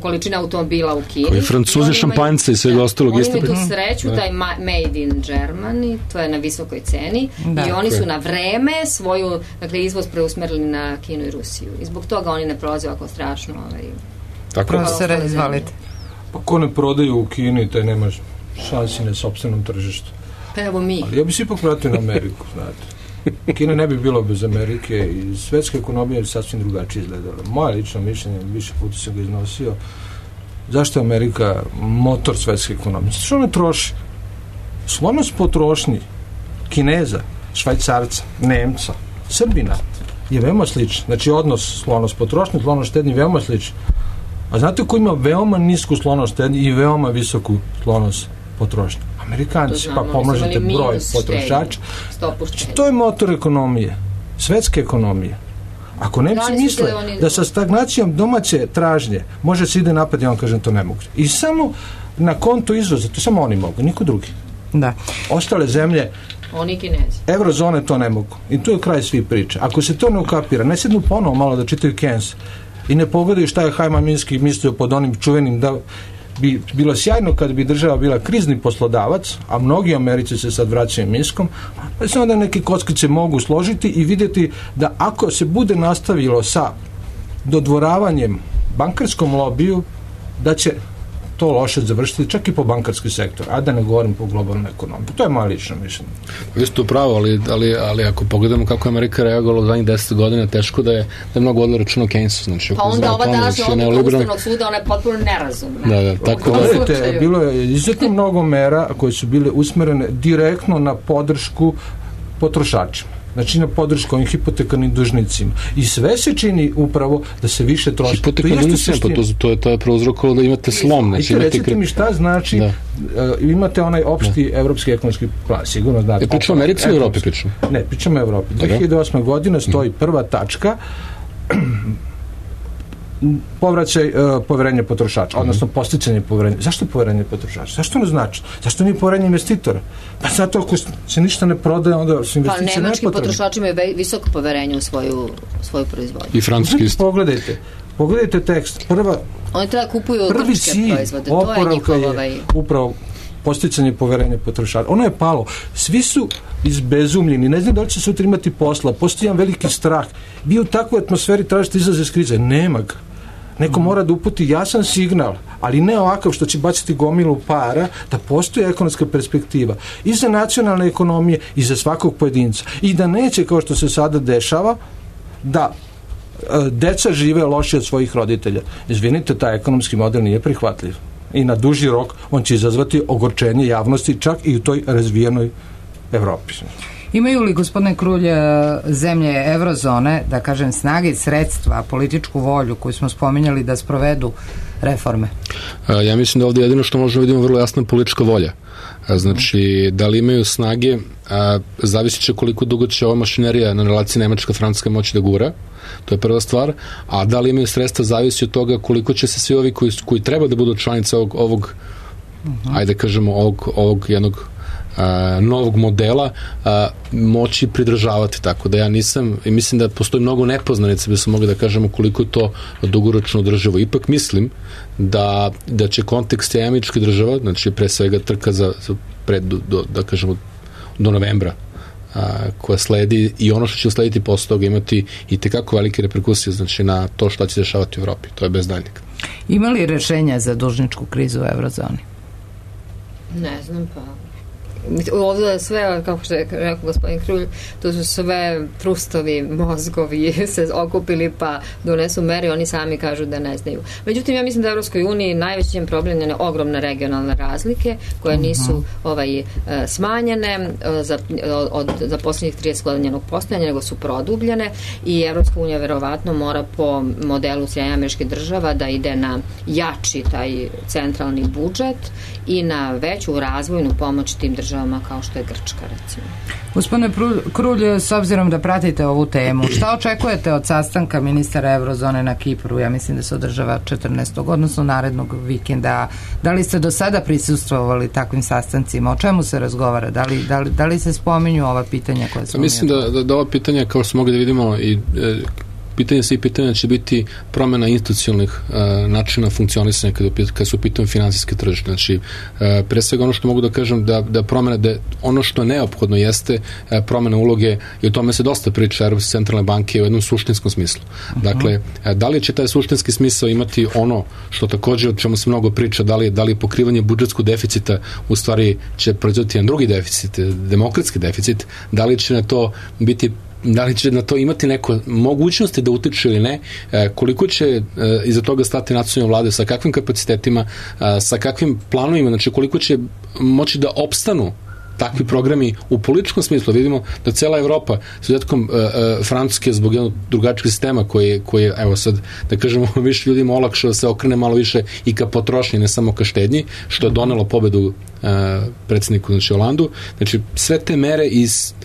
količine automobila u Kini. Koji Francuzi, šampanjce i svega ostalog. Oni imaju tu sreću da je made in Germany, to je na visokoj ceni i oni su na vreme svoju, dakle, izvoz preusmerili na Kinu i Rusiju. I zbog toga oni ne prolaze ovako strašno. Profesore, izvalite. Pa ko ne prodaju u Kini, taj nema šansi na sopstvenom tržištu. Pa evo mi. Ali ja bi se ipak vratio na Ameriku, znate. Kina ne bi bilo bez Amerike i svetska ekonomija je sasvim drugačije izgledala. Moje lično mišljenje, više puta sam ga iznosio, zašto je Amerika motor svetske ekonomije? Što ne troši? Sklonost potrošnji Kineza, Švajcarca, Nemca, Srbina je veoma sličan. Znači odnos sklonost potrošnje, sklonost štednji veoma sličan. A znate ko ima veoma nisku sklonost štednje i veoma visoku sklonost potrošnje? Amerikanci, pa pomnožite broj potrošača. To je motor ekonomije, svetske ekonomije. Ako Nemci misle da sa stagnacijom domaće tražnje može se ide napad, ja vam kažem to ne mogu. I samo na konto izvoza, to samo oni mogu, niko drugi. Da. Ostale zemlje, oni Kinezi, evrozone to ne mogu. I tu je kraj svih priča. Ako se to ne ukapira, ne sednu ponovo malo da čitaju Keynes i ne pogledaju šta je Hajman Minski mislio pod onim čuvenim da bi bilo sjajno kad bi država bila krizni poslodavac, a mnogi Americi se sad vraćaju Minskom, pa se onda neke kockice mogu složiti i vidjeti da ako se bude nastavilo sa dodvoravanjem bankarskom lobiju, da će to loše završiti čak i po bankarski sektor, a da ne govorim po globalnoj ekonomiji. To je moje lično mišljenje. Vi ste upravo, ali ako pogledamo kako je Amerika reagovala u zadnjih 10 godina, teško da je mnogo vodilo računa o Keynesu. Znači, pa onda ova današnja odluka Ustavnog suda, ona je potpuno nerazumna. Da, tako da. Bilo je izuzetno mnogo mera koje su bile usmerene direktno na podršku potrošačima. Znači na podršku ovim hipotekarnim dužnicima. I sve se čini upravo da se više troši. Hipotekarnim dužnicima, to je prouzrokovalo da imate slom. Znači, recite mi šta znači, imate onaj opšti evropski ekonomski plan, sigurno znate. Pričamo o Americi ili Evropi pričamo? Ne, pričamo o Evropi. 2008. godina stoji prva tačka povraćaj poverenja potrošača, odnosno posticanje poverenja. Zašto poverenje potrošača? Zašto ne znači? Zašto nije poverenje investitora? Pa zato ako se ništa ne prodaje, onda su investicije nepotrebne. Pa nemački potrošači imaju visoko poverenje u svoju proizvodnju. I francuski isto. Pogledajte tekst. Oni treba kupuju grčke proizvode. To je njihov upravo posticanje poverenja potrošača. Ono je palo. Svi su izbezumljeni. Ne znam da li će sutra imati posla. Postoji jedan veliki strah. Vi u takvoj atmosferi tražite izlaz iz krize. Nema ga. Neko mora da uputi jasan signal, ali ne ovakav što će baciti gomilu para, da postoji ekonomska perspektiva i za nacionalne ekonomije i za svakog pojedinca. I da neće, kao što se sada dešava, da deca žive lošije od svojih roditelja. Izvinite, taj ekonomski model nije prihvatljiv. I na duži rok on će izazvati ogorčenje javnosti čak i u toj razvijenoj Evropi. Imaju li, gospodine Krulj, zemlje evrozone, da kažem, snage i sredstva, političku volju koju smo spominjali da sprovedu reforme? Ja mislim da ovdje jedino što možemo vidimo vrlo jasna politička volja. Znači, da li imaju snage, zavisit će koliko dugo će ova mašinerija na relaciji Nemačka-Francuska moći da gura, to je prva stvar, a da li imaju sredstva zavisi od toga koliko će se svi ovi koji treba da budu članice ovog ajde kažemo, ovog jednog novog modela moći pridržavati, tako da ja nisam, i mislim da postoji mnogo nepoznanica, bi se mogli da kažemo koliko je to dugoročno održivo. Ipak mislim da će kontekst američke država, znači pre svega trka da kažemo do novembra koja sledi i ono što će slediti posle toga imati i tekako velike reperkusije, znači na to šta će dešavati u Evropi, to je bez daljnjeg. Ima li rešenja za dužničku krizu u evrozoni? Ne znam, Ovdje je sve, kako što je rekao gospodin Krulj, to su sve trustovi, mozgovi se okupili pa donesu mere, oni sami kažu da ne znaju. Međutim, ja mislim da u Evropskoj uniji najveći problem je ogromne regionalne razlike koje nisu smanjene za posljednjih 30 godina njenog postojanja, nego su produbljene i Evropska unija verovatno mora po modelu Sjedinjenih Američkih Država da ide na jači taj centralni budžet i na veću razvojnu pomoć tim državama kao što je Grčka, recimo. Gospodine Krulj, s obzirom da pratite ovu temu, šta očekujete od sastanka ministara Eurozone na Kipru? Ja mislim da se održava 14. odnosno narednog vikenda. Da li ste do sada prisustvovali takvim sastancima? O čemu se razgovara? Da li se spominju ova pitanja koje smo... Mislim da ova pitanja, kao što mogli da vidimo, i pitanja će biti promjena institucionalnih načina funkcionisanja kada su pitanje finansijske tržište. Znači, pre svega ono što mogu da kažem da promjena, da ono što je neophodno jeste promjena uloge i o tome se dosta priča Evropske centralne banke u jednom suštinskom smislu. Dakle, da li će taj suštinski smisao imati ono što također, o čemu se mnogo priča, da li pokrivanje budžetskog deficita u stvari će proizvoditi jedan drugi deficit, demokratski deficit, da li će na to biti, da li će na to imati neko mogućnosti da utiče ili ne, koliko će iza toga stati nacionalne vlade, sa kakvim kapacitetima, sa kakvim planovima, znači koliko će moći da opstanu takvi programi u političkom smislu. Vidimo da cela Evropa, s izuzetkom Francuske, zbog jednog drugačijeg sistema koji je, evo sad, da kažemo, više ljudima olakšao da se okrene malo više i ka potrošnji, ne samo ka štednji, što je donelo pobedu predsjedniku, znači Holandu. Znači, sve te mere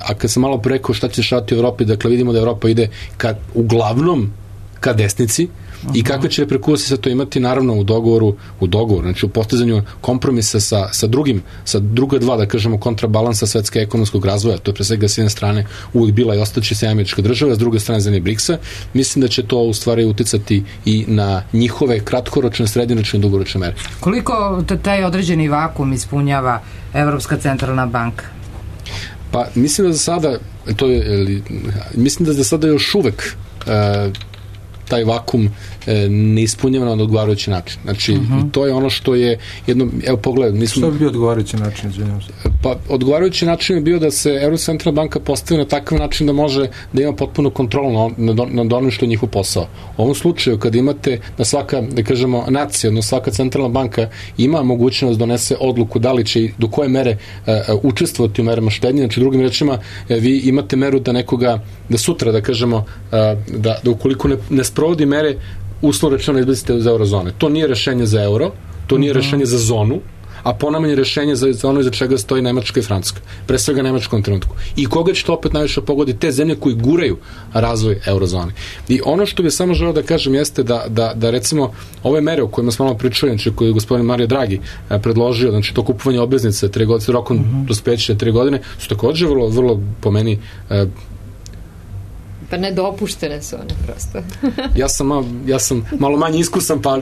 a kad sam malo preko šta će šati u Evropi, dakle vidimo da Evropa ide uglavnom ka desnici, i kakve će reperkusije sa to imati, naravno u dogovoru, znači u postizanju kompromisa sa druga dva, da kažemo, kontrabalansa svetske ekonomskog razvoja. To je pre svega s jedne strane uvijek bila i ostaće Sjedinjene Američke Države, s druge strane zemlje BRICS-a. Mislim da će to u stvari uticati i na njihove kratkoročne, srednjoročne i dugoročne mere. Koliko taj određeni vakum ispunjava Evropska centralna banka? Pa mislim da za sada još uvek taj vakum ne ispunjava na odgovarajući način. Znači, to je ono što je jedno, evo pogledaj, što bi bio odgovarajući način, izvinjam se? Pa, odgovarajući način je bio da se Evropska centralna banka postavi na takav način da može da ima potpunu kontrolu nad onim što je njihov posao. U ovom slučaju, kad imate da svaka, da kažemo, nacija, odnosno svaka centralna banka ima mogućnost da donese odluku da li će i do koje mere učestvovati u merama štednje, znači drugim rečima, vi imate meru da nekoga, da sutra, da kažemo, da ukoliko ne sprovodi mere, uslovno rečeno izbacite za eurozone. To nije rešenje za euro, to nije rešenje za zonu, a ponajmanje rešenje za ono iza čega stoji Nemačka i Francuska. Pre svega Nemačkom trenutku. I koga će to opet najviše pogoditi? Te zemlje koji guraju razvoj eurozone. I ono što bih samo želeo da kažem jeste da recimo ove mere o kojima smo malo pričali, znači koje je gospodin Mario Draghi predložio, znači to kupovanje obveznice 3 godine, s rokom dospeća 3 godine, su također vrlo po meni pa nedopuštene su one prosto. ja sam malo manje iskusan, pa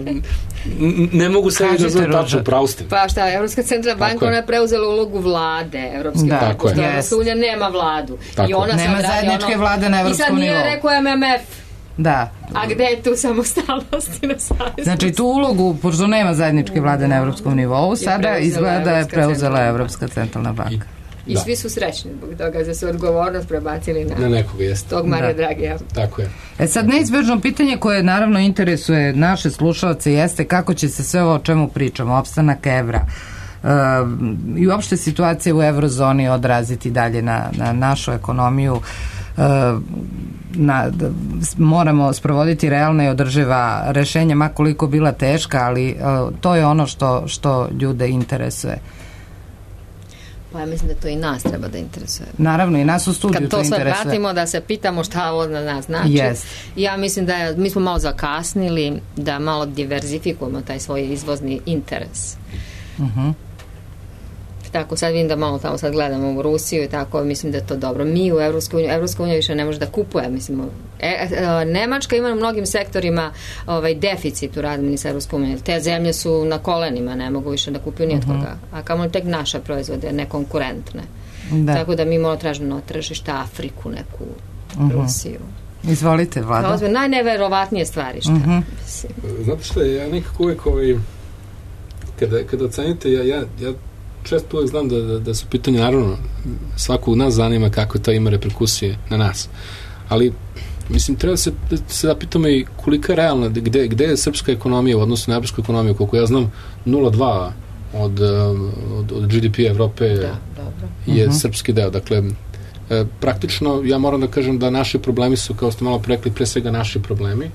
ne mogu se da znam tačno, pravo ste. Pa šta, Evropska centralna banka, ona je preuzela ulogu vlade Evropske banke, pošto Evropska unija nema vladu. I ona nema zajedničke vlade na evropskom nivou. I sad nije rekao MMF. Da. A gde je tu samostalnost i nezavisnost? Znači tu ulogu, pošto nema zajedničke vlade na evropskom nivou, sada izgleda da je preuzela Evropska centralna banka. I svi su srećni zbog toga da su odgovornost prebacili na nekoga, jeste. Tog Marija Dragija. Tako je. Sad neizbežno pitanje koje naravno interesuje naše slušalce jeste kako će se sve ovo o čemu pričamo, opstanak evra i uopšte situacija u eurozoni odraziti dalje na našu ekonomiju. Moramo sprovoditi realna i održiva rešenja, makoliko bila teška, ali to je ono što ljude interesuje. Pa ja mislim da to i nas treba da interesuje. Naravno, i nas u studiju to interesuje. Kad to sve pratimo, da se pitamo šta ovo na nas znači. Yes. Ja mislim da mi smo malo zakasnili da malo diverzifikujemo taj svoj izvozni interes. Tako, sad vidim da malo tamo sad gledamo u Rusiju i tako, mislim da je to dobro. Mi u Evropska unija više ne može da kupuje, mislim. Nemačka ima u mnogim sektorima deficit u razmeni sa Evropskom unijom. Te zemlje su na kolenima, ne mogu više da kupuju nijetkoga. A kamo tek naše proizvode, nekonkurentne. Tako da mi moramo tražiti na tržište Afriku, neku Rusiju. Izvolite, Vlada. Najneverovatnije stvari, šta? Znate što, ja nekako uvijek kada ocenite, ja često uvek znam da su pitanje, naravno, svakog nas zanima kako to ima reperkusije na nas. Ali, mislim, treba da se zapitamo i kolika je realna, gde je srpska ekonomija u odnosu na evropsku ekonomiju, koliko ja znam, 0,2 od GDP Evrope je srpski deo. Dakle, praktično, ja moram da kažem da naši problemi su, kao ste malo rekli, pre svega naši problemi.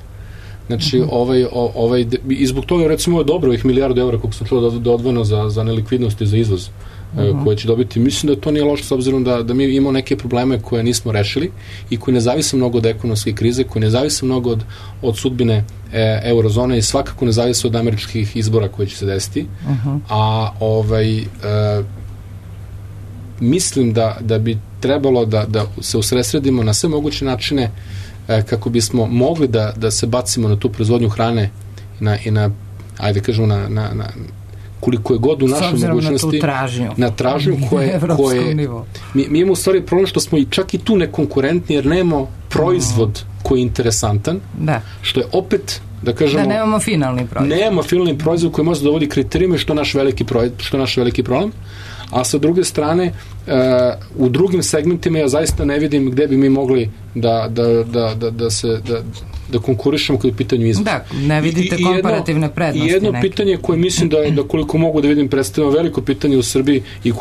Znači, i zbog toga, recimo, je dobro ovih milijardu evra, koliko sam čuo da odvojeno za nelikvidnost i za izvoz koje će dobiti. Mislim da to nije loše, s obzirom da mi imamo neke probleme koje nismo rešili i koji ne zavise mnogo od ekonomske krize, koji ne zavise mnogo od sudbine eurozone i svakako ne zavise od američkih izbora koji će se desiti. A mislim da bi trebalo da se usredsredimo na sve moguće načine kako bismo mogli da se bacimo na tu proizvodnju hrane i na ajde kažemo na koliko je god u našoj mogućnosti na tražnju koje mi imamo u stvari problem što smo čak i tu nekonkurentni jer nemamo proizvod koji je interesantan, što je opet da kažemo... Da nemamo finalni proizvod koji može da dovodi kriterijima što je naš veliki problem. A sa druge strane, u drugim segmentima ja zaista ne vidim gde bi mi mogli da konkurišemo kada je pitanju izvoza. Da, ne vidite komparativne prednosti. I jedno pitanje koje mislim da koliko mogu da vidim predstavljamo veliko pitanje u Srbiji i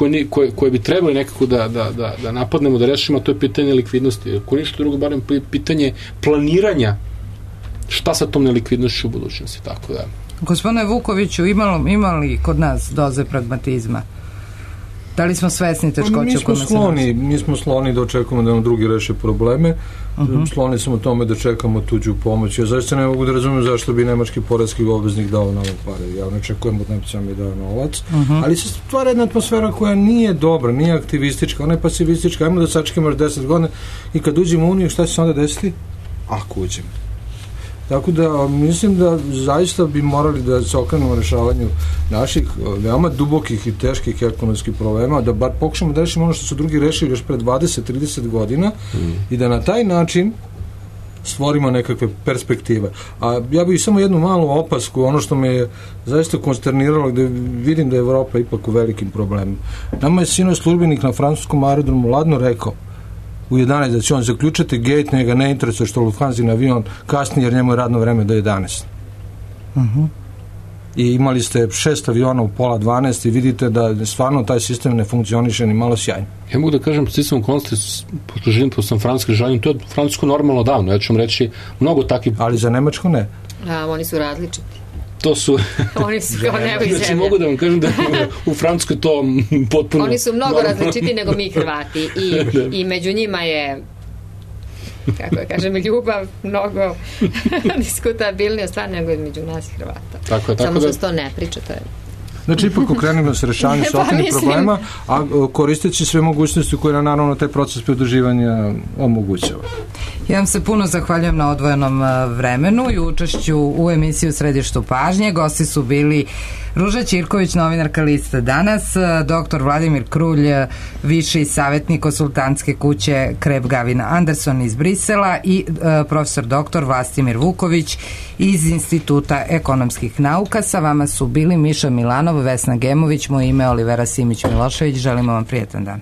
koje bi trebali nekako da napadnemo, da rešimo, to je pitanje likvidnosti. Ako ništa drugo, barem pitanje planiranja šta sa tom nelikvidnošću u budućnosti. Tako da. Gospodine Vukoviću, imali kod nas doze pragmatizma? Da li smo svesni teškoća u kojima se nalazi? Mi smo skloni da očekujemo da nam drugi reše probleme. Skloni smo tome da čekamo tuđu pomoć. Ja zaista ne mogu da razumijem zašto bi nemački poreski obveznik dao nam pare. Ja ne očekujem od Nemca mi dao novac. Ali se stvara jedna atmosfera koja nije dobra, nije aktivistička, ona je pasivistička. Ajmo da sačekamo još 10 godina i kad uđemo u Uniju, šta će se onda desiti? Ako uđemo. Tako da mislim da zaista bi morali da se okrenemo rešavanju naših veoma dubokih i teških ekonomskih problema, da bar pokušamo da rešimo ono što su drugi rešili još pre 20-30 godina i da na taj način stvorimo nekakve perspektive. A ja bih samo jednu malu opasku, ono što me je zaista konsterniralo, gde vidim da je Evropa ipak u velikim problemima. Nama je sinoć službenik na francuskom aerodromu ladno rekao u 11 da će on zaključati gate, njega ne interesuje što Lufthansa na avion kasni jer njemu je radno vreme do 11. I imali ste 6 aviona u pola 12 i vidite da stvarno taj sistem ne funkcioniše ni malo sjajno. Ja mogu da kažem sistem okolnosti, pošto živim po San Francisco žalim, to je Francusko normalno davno, ja ću vam reći mnogo takvih... Ali za Nemačko ne. Oni su različiti. To su... Oni su kao nebo i zemlja. Znači, mogu da vam kažem da u Francuskoj to potpuno... Oni su mnogo različiti nego mi Hrvati i među njima je, kako ja kažem, ljubav mnogo diskutabilnija stvar nego između nas i Hrvata. Samo što se to ne priča, to je... Znači, ipak okrenimo se rešavanju sopstvenih problema, a koristeći sve mogućnosti koje nam naravno taj proces pridruživanja omogućava. Ja vam se puno zahvaljujem na odvojenom vremenu i učešću u emisiji U središtu pažnje. Gosti su bili Ruža Ćirković, novinarka Liste Danas, dr. Vladimir Krulj, viši savjetnik konsultantske kuće Kreb Gavin Anderson iz Brisela i profesor dr. Vlastimir Vuković iz Instituta ekonomskih nauka. Sa vama su bili Miša Milanov, Vesna Gemović, moje ime Olivera Simić-Milošević. Želimo vam prijetan dan.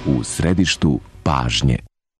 U središtu pažnje.